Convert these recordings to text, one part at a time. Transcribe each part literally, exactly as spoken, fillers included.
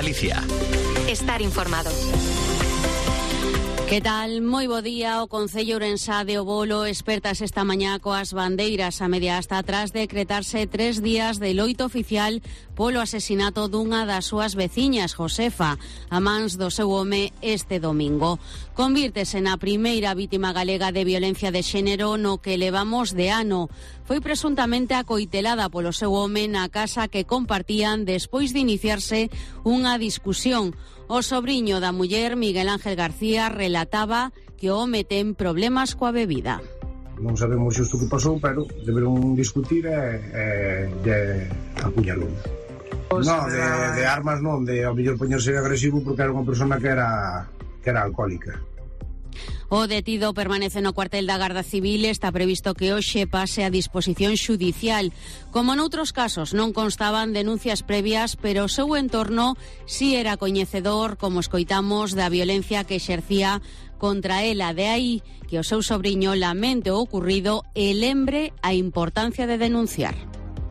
Galicia. Estar informado. Que tal? Moi bo día. O Concello Ourensá de Obolo espertas esta mañá coas bandeiras a media hasta atrás decretarse tres días de loito oficial polo asesinato dunha das súas veciñas, Josefa, a mans do seu home este domingo. Convírtese na primeira vítima galega de violencia de xénero no que levamos de ano. Foi presuntamente acoitelada polo seu home na casa que compartían despois de iniciarse unha discusión. O sobriño da muller, Miguel Ángel García, relataba que o home ten problemas coa bebida. Non sabemos xusto que pasou, pero deberon discutir e, e, e apuñalou. Non, de, de armas non, de ao mellor poñerse agresivo porque era unha persona que era, que era alcohólica. O detido permanece no cuartel da Garda Civil. Está previsto que hoxe pase a disposición xudicial. Como noutros casos non constaban denuncias previas, pero o seu entorno si era coñecedor, como escoitamos, da violencia que exercía contra ela. De aí que o seu sobriño lamente o ocurrido e lembre a importancia de denunciar.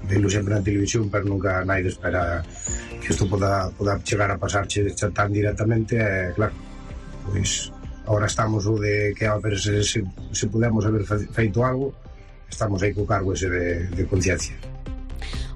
Velo sempre na televisión, pero nunca naide espera que isto poda, poda chegar a pasarche tan directamente. E claro, pois ahora estamos o de que a ver se, se, se podemos haber feito algo, estamos aí co cargo ese de, de conciencia.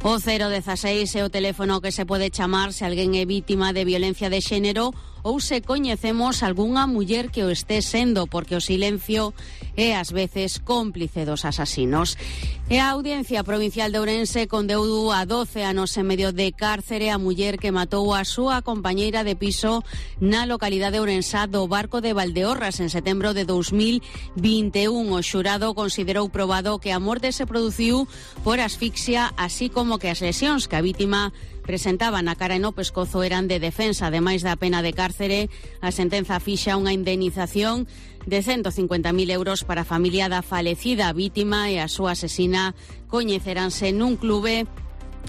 O cero dezasseis é o teléfono que se pode chamar se alguén é vítima de violencia de xénero ou se coñecemos algunha muller que o esté sendo, porque o silencio é ás veces cómplice dos asasinos. E a Audiencia Provincial de Ourense condeou a doce anos e medio de cárcere a muller que matou a súa compañeira de piso na localidade ourensá do Barco de Valdeorras en setembro de dous mil vinte e un. O xurado considerou probado que a morte se produciu por asfixia, así como que as lesións que a vítima presentaba na cara e no pescozo eran de defensa. Ademais da pena de cárcere, a sentenza fixa unha indemnización de ciento cincuenta mil euros para a familia da falecida vítima e a súa asesina coñeceranse nun clube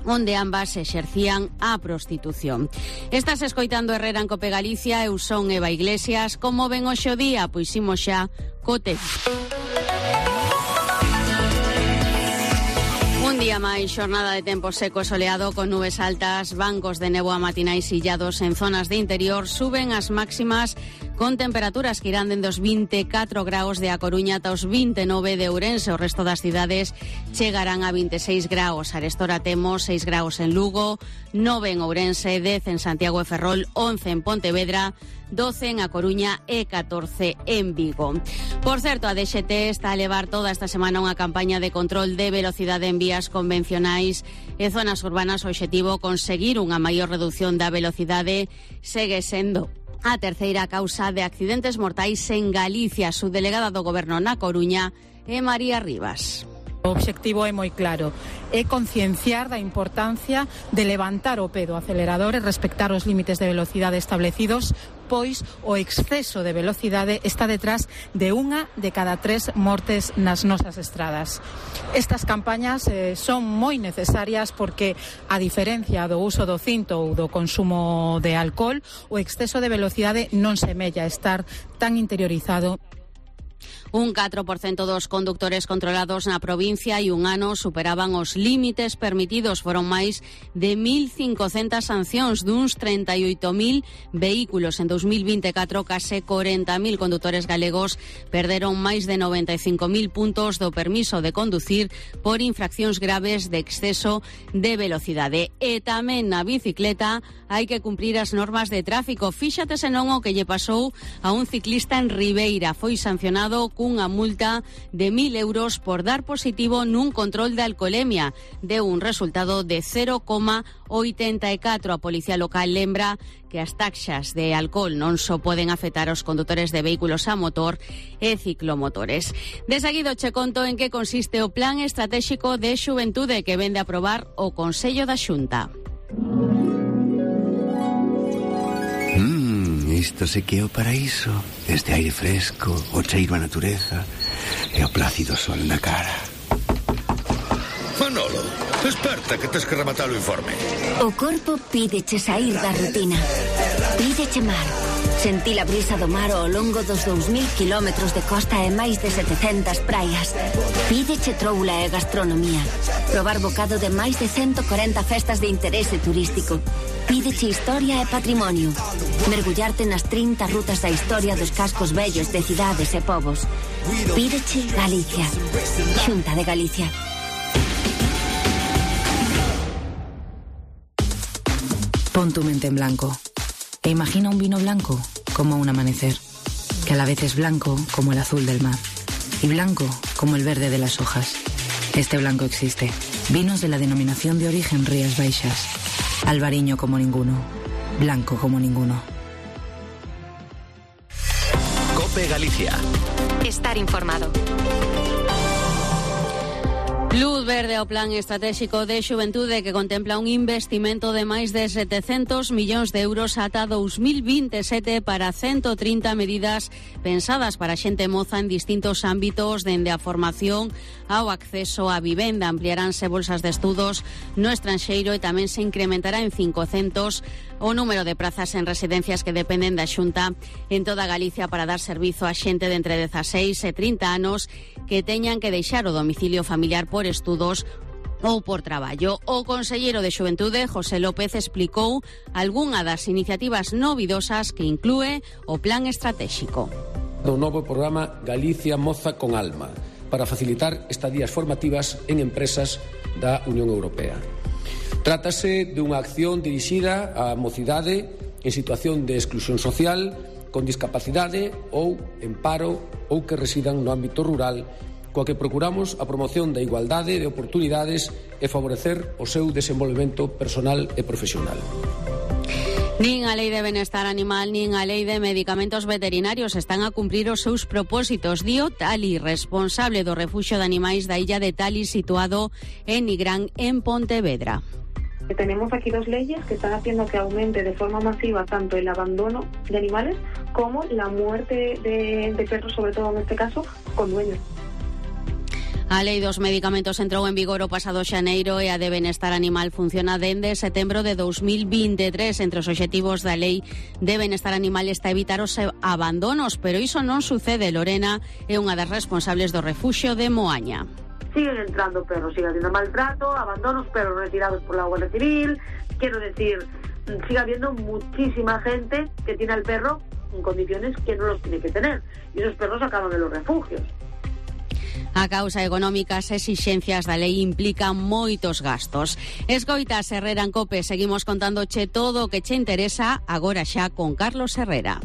onde ambas exercían a prostitución. Estás escoitando Herrera en Cope Galicia. Eu son Eva Iglesias. Como ven hoxe o día? Pois imos xa co tempo. Un día máis, xornada de tempo seco e soleado con nubes altas, bancos de néboa matinais illados en zonas de interior. Suben as máximas con temperaturas que irán dende os vinte e catro graus de A Coruña ata os vinte e nove de Ourense. O resto das cidades chegarán a vinte e seis graus. Arestora temos seis graus en Lugo, nove en Ourense, dez en Santiago e Ferrol, once en Pontevedra, doce en A Coruña e catorce en Vigo. Por certo, a D X T está a levar toda esta semana unha campaña de control de velocidade en vías convencionais e zonas urbanas. O obxectivo conseguir unha maior reducción da velocidade segue sendo a terceira causa de accidentes mortais en Galicia. A subdelegada do Goberno na Coruña é María Rivas. O obxectivo é moi claro, é concienciar da importancia de levantar o pé do acelerador e respectar os límites de velocidade establecidos, pois o exceso de velocidade está detrás de unha de cada tres mortes nas nosas estradas. Estas campañas eh, son moi necesarias porque, a diferencia do uso do cinto ou do consumo de alcohol, o exceso de velocidade non semella estar tan interiorizado. Un catro por cento dos condutores controlados na provincia e un ano superaban os límites permitidos. Foron máis de mil cincocentas sancións duns trinta e oito mil vehículos. En dous mil vinte e catro, case corenta mil condutores galegos perderon máis de noventa e cinco mil puntos do permiso de conducir por infraccións graves de exceso de velocidade. E tamén na bicicleta hai que cumprir as normas de tráfico. Fíxate senón o que lle pasou a un ciclista en Ribeira. Foi sancionado cunha multa de mil euros por dar positivo nun control de alcolemia. Deu un resultado de cero coma oitenta e catro. A policía local lembra que as taxas de alcohol non só poden afectar aos condutores de vehículos a motor e ciclomotores. De seguido che conto en que consiste o Plan Estratéxico de Xuventude que vende a aprobar o Consello da Xunta. Isto se que é o paraíso. Este aire fresco, o cheiro a natureza e o plácido sol na cara. Manolo, desperta que tes que rematar o informe. O corpo pídeche sair da rutina. Pídeche mar. Sentí a brisa do mar ao longo dos dous mil kilómetros de costa e máis de setecentas praias. Pídeche troula e gastronomía. Probar bocado de máis de ciento cuarenta festas de interese turístico. Pídeche historia e patrimonio. Mergullarte nas trinta rutas da historia dos cascos vellos de cidades e povos. Pídeche Galicia. Xunta de Galicia. Pon tu mente en blanco e imagina un vino blanco como un amanecer, que a la vez es blanco como el azul del mar y blanco como el verde de las hojas. Este blanco existe. Vinos de la denominación de origen Rías Baixas. Albariño como ninguno. Blanco como ninguno. COPE Galicia. Estar informado. Luz verde ao Plan Estratégico de Xuventude que contempla un investimento de máis de setecentos millóns de euros ata dous mil vinte e sete para ciento trinta medidas pensadas para a xente moza en distintos ámbitos, dende a formación ao acceso á vivenda. Ampliaránse bolsas de estudos no estranxeiro e tamén se incrementará en cincocentos o número de prazas en residencias que dependen da Xunta en toda Galicia para dar servizo a xente de entre dezaseis e trinta anos que teñan que deixar o domicilio familiar por estudos ou por traballo. O conselleiro de Xuventude, José López, explicou algunha das iniciativas novidosas que inclúe o Plan Estratégico. Do novo programa Galicia Moza con Alma para facilitar estadías formativas en empresas da Unión Europea. Trátase dunha acción dirixida á mocidade en situación de exclusión social, con discapacidade ou en paro ou que residan no ámbito rural, coa que procuramos a promoción da igualdade de oportunidades e favorecer o seu desenvolvemento personal e profesional. Nin a Lei de Benestar Animal nin a Lei de Medicamentos Veterinarios están a cumprir os seus propósitos, dio Tali, responsable do refuxio de animais da illa de Tali, situado en Nigrán, en Pontevedra. Tenemos aquí dos leyes que están haciendo que aumente de forma masiva tanto el abandono de animales como la muerte de, de perros, sobre todo en este caso, con dueños. A Lei dos Medicamentos entrou en vigor o pasado xaneiro e a de Benestar Animal funciona dende setembro de dous mil vinte e tres. Entre os obxectivos da Lei de Benestar Animal está evitar os abandonos, pero iso non sucede. Lorena é unha das responsables do refuxio de Moaña. Siguen entrando perros, sigue habiendo maltrato, abandonos, perros retirados por la Guardia Civil. Quiero decir, sigue habiendo muchísima gente que tiene al perro en condiciones que no los tiene que tener. Y esos perros acaban en los refugios. A causa económica, as exixencias da lei implican moitos gastos. Escoitas Herrera en COPE, seguimos contándoche todo o que che interesa agora xa con Carlos Herrera.